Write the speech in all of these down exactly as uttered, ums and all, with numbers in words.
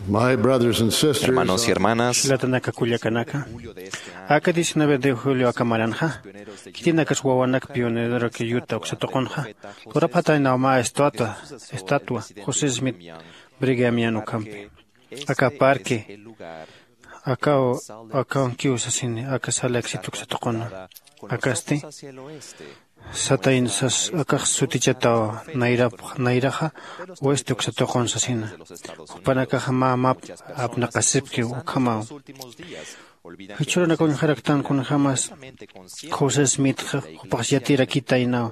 My brothers and sisters, hermanos y hermanas, jilatanaka kullakanaka, aka diecinueve de julio aka maranxa, khitinakas wawanak pionerorak yuta uksa tuqunxa, lurapxataynaw mä estatua, estatua José Smith Brigamian ukhampi. Aka parque, akaw, akaw kiw sasini, aka Salt Lake City uksa tuquna. Akasti, satayna sas, akax sutichataw nayrap, nayraxa oeste uksa tuqun sasina. Jupanakaxa mä map apnaqasipkiw ukhamaw. Jichhürunak uñjaraktan kunjämas José Smith jupax yatirakitaynaw,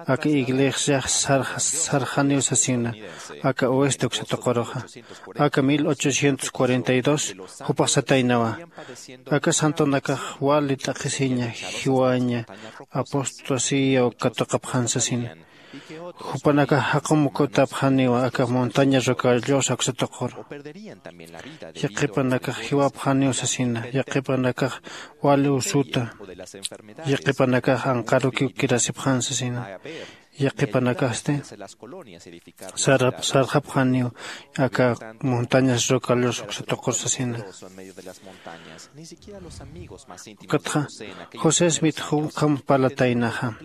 aka iglesia sarx-, sarxaniw sasina, aka oeste uksa tuquruxa. Aka mil ochocientos cuarenta y dos jupax sataynawa, aka santonakax wali t'aqhisiña, jiwaña, apostasía uka tuqapxan sasina. Jupanakax jaqum ukatapxaniwa aka montaña Rocallosa uksa tuquru. Yaqhipanakax jiwapxaniw sasina, yaqhipanakax wali usuta, yaqhipanakax anqarukiw kirasipxan sasina, yaqhipanakasti sarxap-, sarxapxaniw aka montañas Rocallosa uksa tuqur sasina. Ukatxa, José Smith ukham parlataynaxa.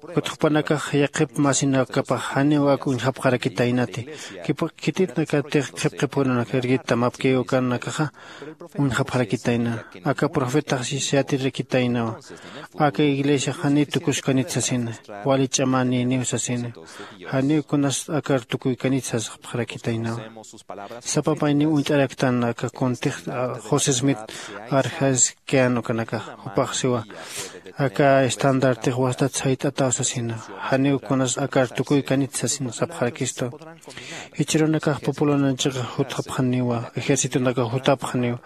Ukat jupanakax yaqhip masinakapax janiw ak uñjapxarakitaynati. Khipa-, khitinakatix qhipqip urunak irgit tamapkiw ukanakaxa uñjapxarakitayna. Aka profetax yatirakitaynawa. Aka iglesiax janiw tukuskanit sasina. Wali ch'amänïniw sasina. Janiw kunas akar tukuykanit sasxapxarakitaynawa. Sapa mayniw uñt'araktan aka kuntix, a, José Smith arxaskian ukanakax, jupax siwa, aka estandartix wastat sayt'ataw sasina, janiw kunas akar tukuykanit sasina sapxarakistu. Jichhürunakax pupulananchix jutxapxaniwa, ejércitonakax jutapxaniwa,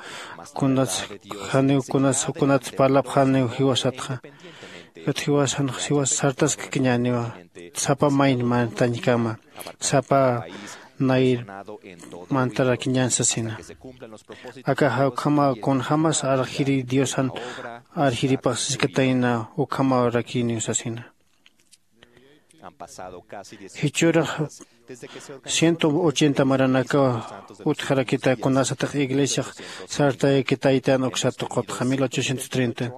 kunas, janiw kunas, kunats parlapxaniw jiwasatxa. Ukat jiwasan, jiwas sartaskkiñäniwa, sapa mayn mantañkama, sapa nayr mantarakiñän sasina. Akaxa ukhama kunjämas arxiri Diosan arxiripax siskatayna ukhamarakiniw sasina. Jichhürax ciento ochenta maranakaw utjarakita kunasatix iglesiax sartayakitaytan uksa tuqutxa mil ochocientos treinta.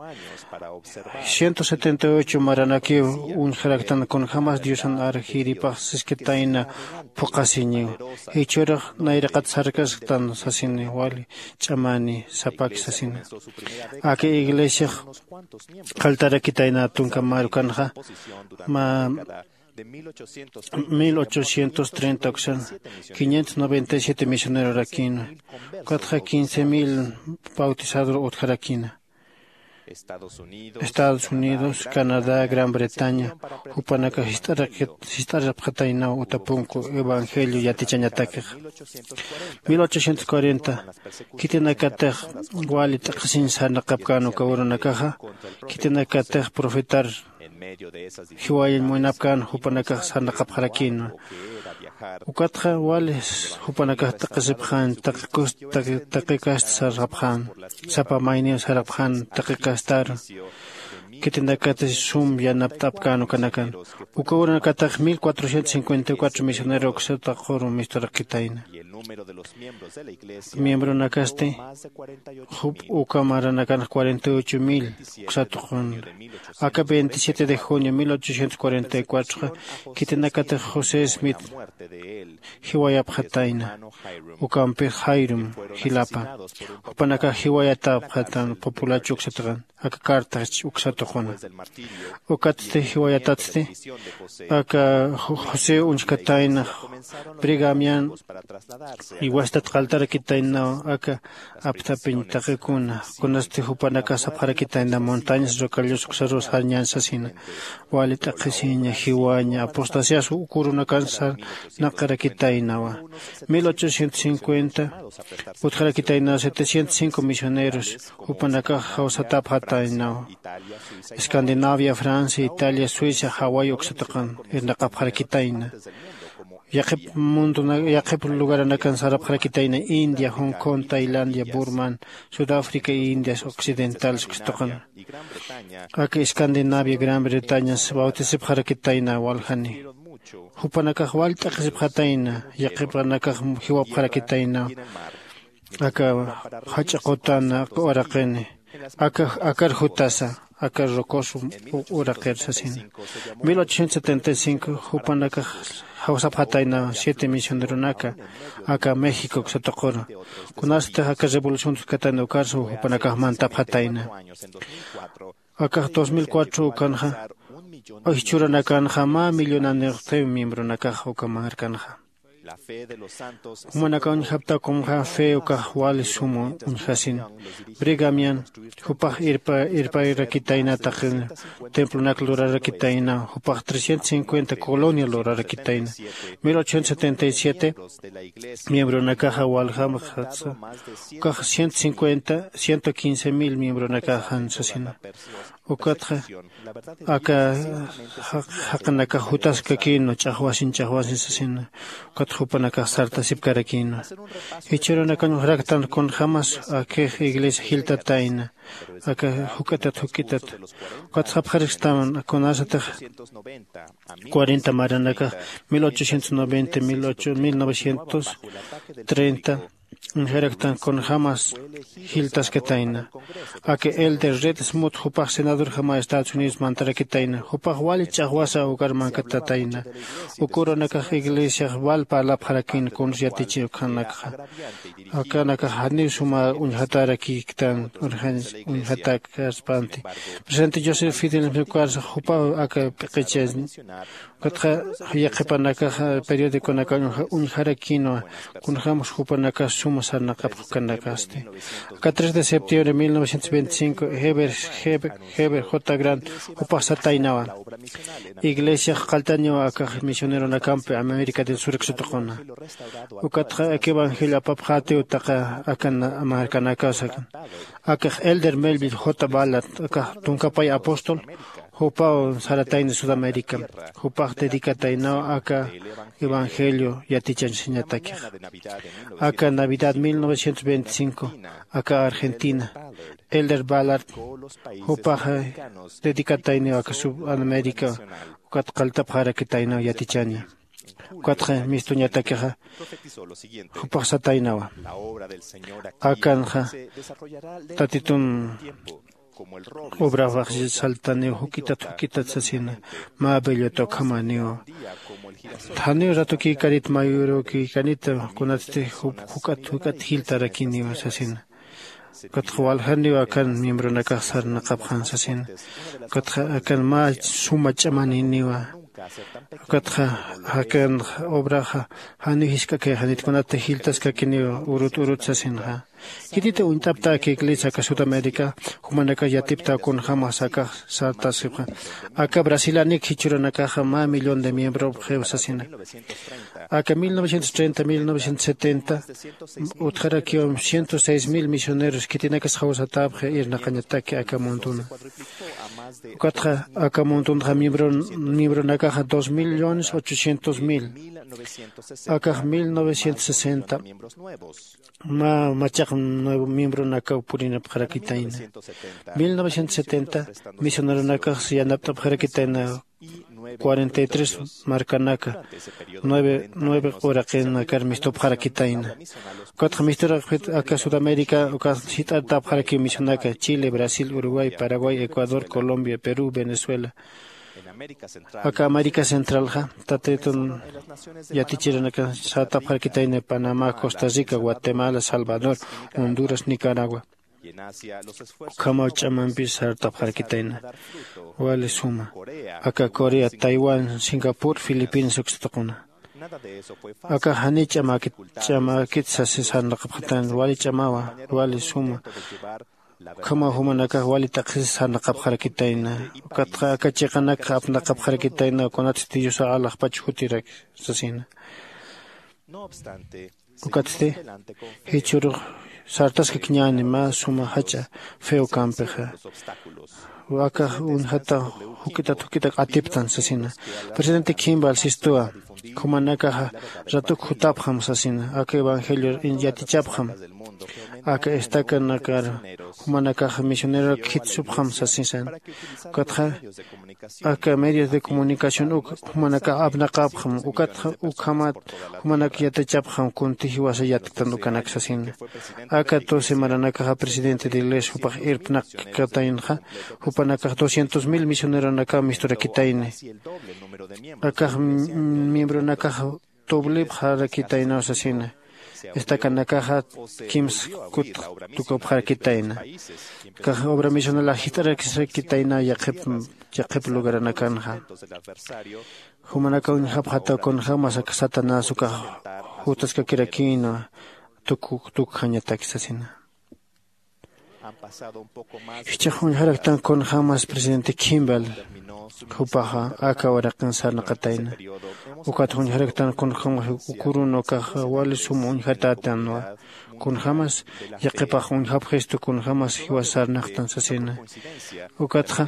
Ciento setenta y ocho maranakiw uñjaraktan kunjämas Diosan arxiripax siskatayna phuqhasiñiw. Jichhürax nayraqat sarkasktan sasini wali ch'amäni sapaki sasina. Aka iglesiax qalltarakitayna tunka marukanxa, mä mil ochocientos treinta uksan, quinientos noventa y siete misionerorakïna, ukatxa quince mil bautizadur utjarakïna. Estados Unidos, Canadá, Gran Bretaña, jupanakax jist'araqit-, jist'arapxataynaw uta punku evangelio yatichañatakix. Mil ochocientos cuarenta, khitinakatix wali t'aqhisiñ sarnaqapkän uka urunakaxa, khitinakatix profetar jiwayañ munapkän jupanakax sarnaqapxarakïna. Ukatxa wali jupanakax taqisipxän, taqikus-, taqi-, taqikast sarxapxän, sapa mayniw sarxapxän taqikastar. Khitinakatix sum yanapt'apkän ukanakan. Uka urunakatix mil cuatrocientos cincuenta y cuatro misionero uksa tuquru misturaqitayna. Miembronakasti, jup uka maranakanx cuarenta y ocho mil uksa tuqun. Aka veintisiete de junio mil ochocientos cuarenta y cuatro, khitinakatix José Smith jiwayapxatayna. Ukampix Hyrum jilapa. Jupanakax jiwayatapxatan populacho uksa tuqun. Aka carta uksa tuquna. Ukatsti jiwayatatsti, aka Ju-, José uñjkatayna Brigham Young, y wastat qalltarakitaynaw aka apthapiñ taqikuna, kunasti jupanakax sapxarakitayna montañas Rocallosa uksarus sarñän sasina, wali t'aqhisiña, jiwaña, apostasias uk urunakan sarnaqarakitaynawa. Mil ochocientos cincuenta, utjarakitaynaw setecientos cinco misioneros, jupanakax jawsatapxataynaw. Escandinavia, Francia, Italia, Suecia, Hawái uksa tuqun irnaqapxarakitayna. Yaqhip mundona-, yaqhip lugaranakan sarapxarakitayna, India, Hong Kong, Tailandia, Burman, Sudáfrica, Indias Occidentales uksa tuqun. Aka Escandinavia, Gran Bretañas bautisipxarakitayna waljani. Jupanakax wal t'aqhisipxatayna, yaqhipanakax jiwapxarakitayna. aka jach'a qutana uraqini, aka akar jutasa, aka rocoso uraqir sasina. Mil ochocientos setenta y cinco jupanakax jawsapxatayna siete misioneronaka aka México satuquru. Kunasatix aka revolución tuskatayna ukarsa jupanakax mantapxatayna. Akax dos mil cuatro ukanxa, jichhüranakanxa mä millonanix miembronakax uka markanxa. Jumanakax uñjapta kunxa fe ukax wali suma uñjasin. Brigamian jupax irpa irparakitayna taqi templonak lurarakitayna jupax trescientos cincuenta colonia lurarakitayna. Mil ochocientos setenta y siete miembronakaxa waljamaxatsa ukax ciento cincuenta ciento quince mil miembronakaxan sasina. Ukatxa aka jaqinakax jutaskakïnwa ch'axwasin ch'axwasin sasina. Ukatxa jupanakax sartasipkarakïnwa. Jichhürunakañ juraktan kunjämas akix iglesia jiltatayna aka juk'itat juk'itat. Ukatxa apxaristam kunasatix cuarenta maranakax mil ochocientos noventa mil novecientos treinta uñjaraktan kunjämas jiltaskatayna. Aka elder red smut jupax senadorjama estados unidos mantarakitayna jupax wali ch'axwasa ukar mankatatayna. Ukürunakax iglesiax wal parlapxarakïn kuns yatichi ukhanakxa. Akanakax janiw suma uñjatarakïktan urxañ uñjatak arspanti. Presidente joseph fidel ukarsa jupaw aka p'iqicha. Ukatxa yaqhipanakaxa periodiconakax uñjarakïnwa kunjämas jupanakax suma sarnaqapxkanakasti. Aka tres de septiembre mil novecientos veinticinco heber heber j grant jupax sataynawa. Iglesiax qalltaniwa akax misioneronakampi américa del sur satuquna. Ukatxa aka evangelio apapxätiw taqa aka markanakasakan. Akax elder melville j ballard akax tunkapay apóstol jupaw saratayna sudamérica. Jupax dedicataynaw aka evangelio yatichañsañatakixa. Aka navidad mil novecientos veinticinco aka argentina elder ballard jupaxa dedicatayniw aka sub américa. Ukat qalltapxarakitaynaw yatichaña. Ukatxa mistuñatakixa jupax sataynawa. Akanxa tatitun obrafax saltaniw juk'itat juk'itat sasina. Mä bellota ukhamaniw. Janiw ratukïkanit mayurukïkanita kunatsti juk'at juk'at jiltarakiniw sasina. Ukatxa waljaniw akan miembronakax sarnaqapxan sasina. Ukatxa akan mä suma ch'amaniniwa. Ukatxa akan obraxa janiw jisk'akayxanit kunata jiltaskakiniw urut urut sasinxa. Khitita uñt'apta aka iglesia aka sudamérica jumanakax yatipta kunjämas akax sartasipxa. Aka brasilanik jichhürunakaxa mä millón de miembropxiw sasina. Aka mil novecientos treinta mil novecientos setenta utjarakiw ciento seis mil misioneros khitinakas jawsatäpxi irnaqañataki aka munduna. Ukatxa aka mundunxa miembronakaxa dos millones ochocientos mil. Akax mil novecientos sesenta mä machaq nuevo miembronakaw purinapxarakitayna. Mil novecientos setenta misioneronakax yanapt'apxarakitayna cuarenta y tres markanaka nueve nueve uraqinakar mistupxarakitayna. Ukatxa misturaqpit aka sudamérica ukat jit'artapxarakiw misionaka chile brasil uruguay paraguay ecuador colombia perú venezuela. Aka américa centralxa tatitun yatichirinaka sartapxarakitayna panamá costa rica guatemala salvador honduras nicaragua. Ukhamaw ch'amampi sartapxarakitayna wali suma. Aka corea taiwán singapur filipinas uksatuquna. Aka janiy ch'amäkit ch'amäkit sasi sarnaqapxatayna wali ch'amawa wali suma. Ukhamaw jumanakax wali t'aqhisi sarnaqapxarakitayna. Ukatxa aka chiqanakxa apnaqapxarakitayna kunatsti diosa alaxpach jutirak sasina. Ukatsti jichhürux sartaskakiñäni mä suma jach'a feo kampixa. Akax uñjata juk'itat juk'itak atiptan sasina. Presidente kimball sistuwa jumanakaxa ratuk jutapxam sasina aka evangelio yatichapxam. Aka estacanakar jumanakax misionerorak jitsupxam sasisan. Ukatxa aka medios de comunicación uk jumanakax apnaqapxam. Ukatxa ukhamat jumanak yatichapxam kunti jiwasa yatktan ukanak sasina. Aka doce maranakaxa presidente de iglesia jupax irpnaqkataynxa, jupanakax doscientos mil misioneronakaw misturakitayni. Akax miembronakax tublipxarakitaynaw sasina. Estacanakaxa kimsa kut tukupxarakitayna. Akax obra misionalax jist'araksakitayna yaqhip yaqhip lugaranakanxa. Jumanakaw uñjapxataw kunjämas aka satanás ukax jutaskakirakïnwa tukukjañataki sasina. Jichhax uñjaraktan kunjämas presidente Kimball jupaxa aka waraqin sarnaqatayna. Ukat uñjaraktan kunjämas ukurun ukax wali sum uñjatätanwa. Kunjämas yaqhipax uñjapxistu kunjämas jiwas sarnaqtan sasina. Ukatxa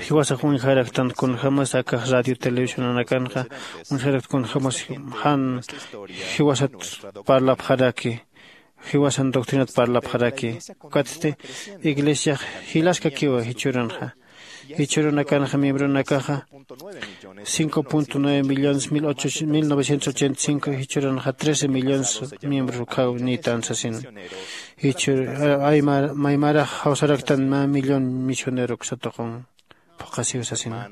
jiwasax uñjaraktan kunjämas akax radio televisionanakanxa uñjarakt kunjämas jan jiwasat parlapxaraki, jiwasan doctrinat parlapxaraki. Ukatsti iglesiax jilaskakiwa jichhürunxa. Jichhürunakanxa miembronakaxa cinco punto nueve millones mil novecientos ochenta y cinco, jichhüranxa trece millones miembros ukhaw niytan sasin. Jichhür maymarax jawsaraktan mä millón misionero uksa tuqun phuqhasiw sasina.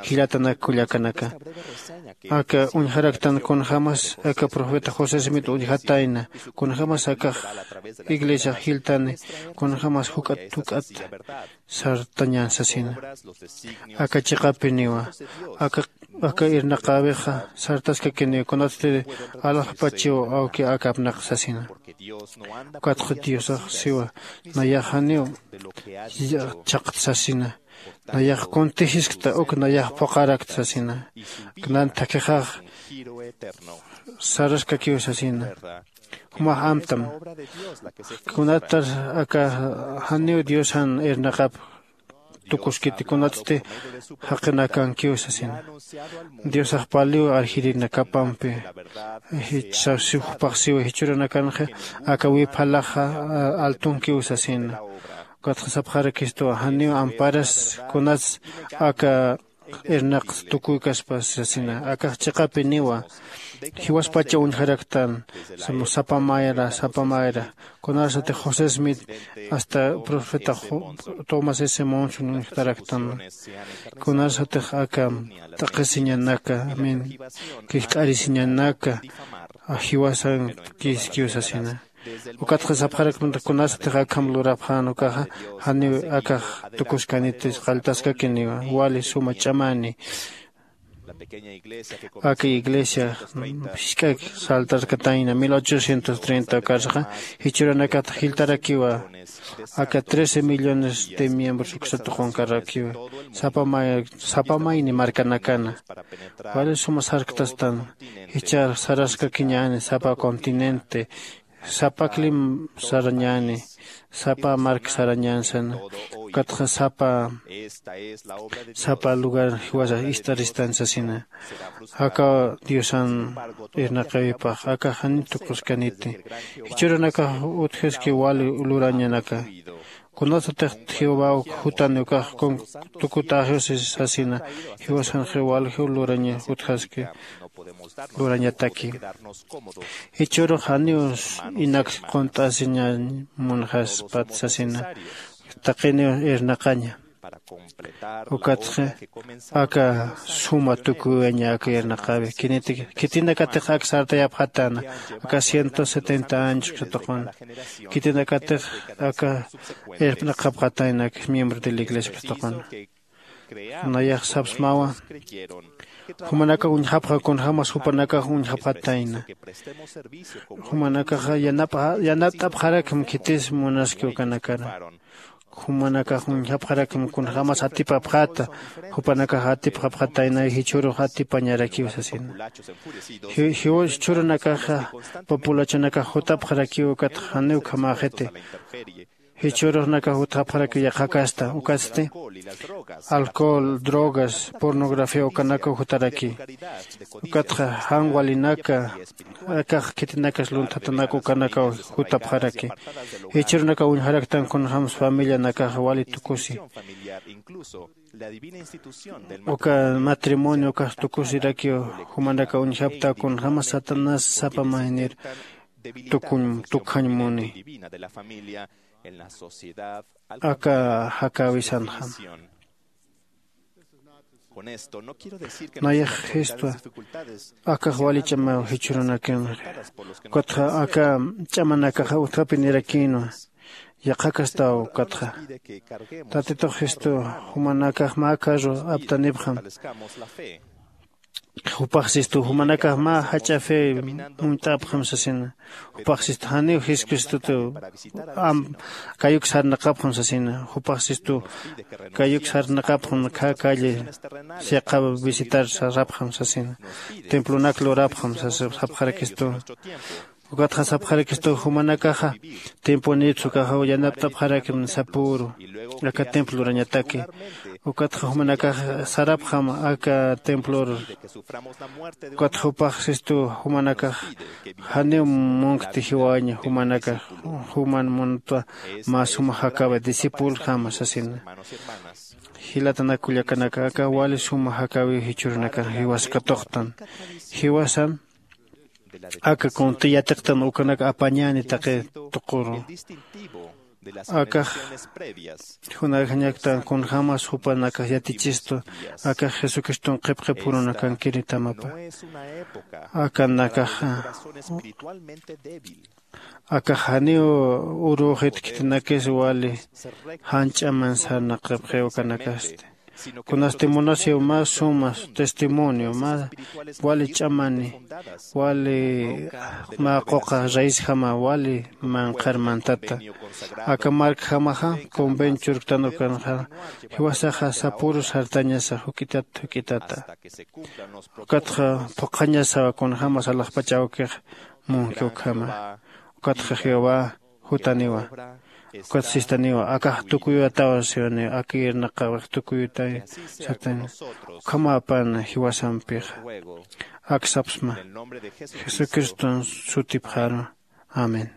Jillatanak kullakanaka, aka uñjaraktan kunjämas aka profeta josé smit uñjatayna, kunjämas akax iglesiax jiltani, kunjämas juk'at juk'at sartañän sasina. Aka chiqapiniwa aka aka irnaqäwixa sartaskakiniw kunatsti alaxpachiw awki aka apnaq sasina. Ukatxa diosax siwa, nayax janiw chhaqt sasina. Nayax kuntijiskta uk nayax phuqharakt sasina. Nan thakhixax saraskakiw sasina. Jumax amtam. Kunatar aka janiw diosan irnaqap tukuskiti kunatsti jaqinakankiw sasina. Diosax paliw arjirinakapampi. Jichhasipxpaxsiw jichhüranakanxa aka wiphalaxa altunkiw sasina. Ukatxa sapxarakistuwa janiw amparas kunats aka irnaqs tukuykaspas sasina. Akax chiqapiniwa jiwaspacha uñjaraktan sapa mayra sapa mayra. Kunarsatix josé smith hasta profeta tomás s monson uñjtaraktan. Kunarsatix aka t'aqhisiñanaka min kisk'arisiñanaka jiwasan kiskiw sasina. Ukatxa sapxarakmanta kunasatix akham lurapxän ukaxa janiw akax tukuskaniti qalltaskakiniwa wali suma ch'amani. Aka iglesia jisk'ak saltarkatayna mil ochocientos treinta ukarsaxa jichhüranakat jiltarakiwa. Aka trece millones de miembros uksa tuqunkarrakiwa sapa mayni markanakana. Wali suma sarktastan jichhar saraskakiñäni sapa continente sapa clima sarañäni sapa mark sarañän sana. Ukatxa sapa sapa lugar jiwasa ist'aristan sasina. Aka diosan irnaqawipax aka jani tuquskaniti. Jichhürunakax utjaski wali lurañanaka. Kunasatix jehovaw jutani ukax tukutäxiw sasina. Jiwasanxiw waljiw luraña utjaski lurañataki. Jichhürux janiw inak qunt'asiñañ munxaspat sasina. Taqiniw irnaqaña. Ukatxa aka suma tukuyaña aka irnaqäwi khitinakatix ak sartayapxatäna aka ciento setenta años uksa tuqun. Khitinakatix aka irpnaqapxatayna ak miembro de la iglesia uksa tuqun. Nayax sapsmawa jumanakax uñjapxa kunjämas jupanakax uñjapxatayna. Jumanakaxa yanapt'apxarakma khitis munaski ukanakara. Jumanakax uñjapxarakma kunjämas atipapxäta. Jupanakax atipxapxatayna jichhürux atipañarakiw sasina. Jichhürunakaxa populachunakax jutapxarakiw ukatxa janiw ukhamäxiti. Jichhürux nakax jutxapxaraki yaqhakasta ukatsti alcohol, drogas, pornografía ukanakaw jutaraki. Ukatxa jan walinaka akax khitinakas lunthatanaka ukanakaw jutapxaraki. Jichhürunakaw uñjaraktan kunjämsa familianakaxa wali tukusi. Uka matrimonio ukax tukusirakiw jumanakaw uñjapta kunjämas satanás sapa maynir tukuñ tukjañ muni. Aka jakäwisanxam. Nayax jistwa akax wali ch'amaw jichhürunakinxa. Ukatxa aka ch'amanakaxa utjapi nirakïnwa. Yaqhakastaw ukatxa tatitux jistu jumanakax mä carro aptanipxam. Jupax sistu jumanakax mä jach'a fe munt'apxam sasina. Jupax sistu janiw jesucristutu kayuk sarnaqapxam sasina. Jupax sistu kayuk sarnaqapxam khä calle siqa visitar sarapxam sasina. Templonak lurapxam sapxarakistu. Ukatxa sapxarakistu jumanakaxa tiemponïpsa ukaxa yanapt'apxarakim sapüru aka templo lurañataki. Ukatxa jumanakax sarapxam aka templor. Ukatxa jupax sistu jumanakax janiw munkti jiwaña jumanakax juman muntwa mä suma jakäwi discipulxama sasina. Jilatanak kullakanaka aka wali suma jakäwiw jichhürunakax jiwas katuqtan. Jiwasan aka kunti yatiqtan ukanak apañäni taqi tuquru. Akax junajañaktan kunjämas jupanakax yatichistu akax jesucriston qhipqhip jurunakankiritamapa. Akanakaxa akax janiw urüxit khitinakis wali jan ch'aman sarnaqapxiw ukanakasti. Kunasti munasiw mä suma testimonio mä wali ch'amani wali mä quqa raisjama wali manqhar mantata. Aka markjamaxa convenchurktan ukanxa jiwasaxa sapüru sartañasa juk'itat juk'itata. Ukatxa phuqhañasawa kunjämas alaxpach awkix munki ukhama. Ukatxa jehová jutaniwa. Ukat sistaniwa akax tukuyuwataw siwaniw aka irnaqawix tukuyutay. Sataniw ukhamapan jiwasampixa. Ak sapsma jesucriston sutipxaru. Amén.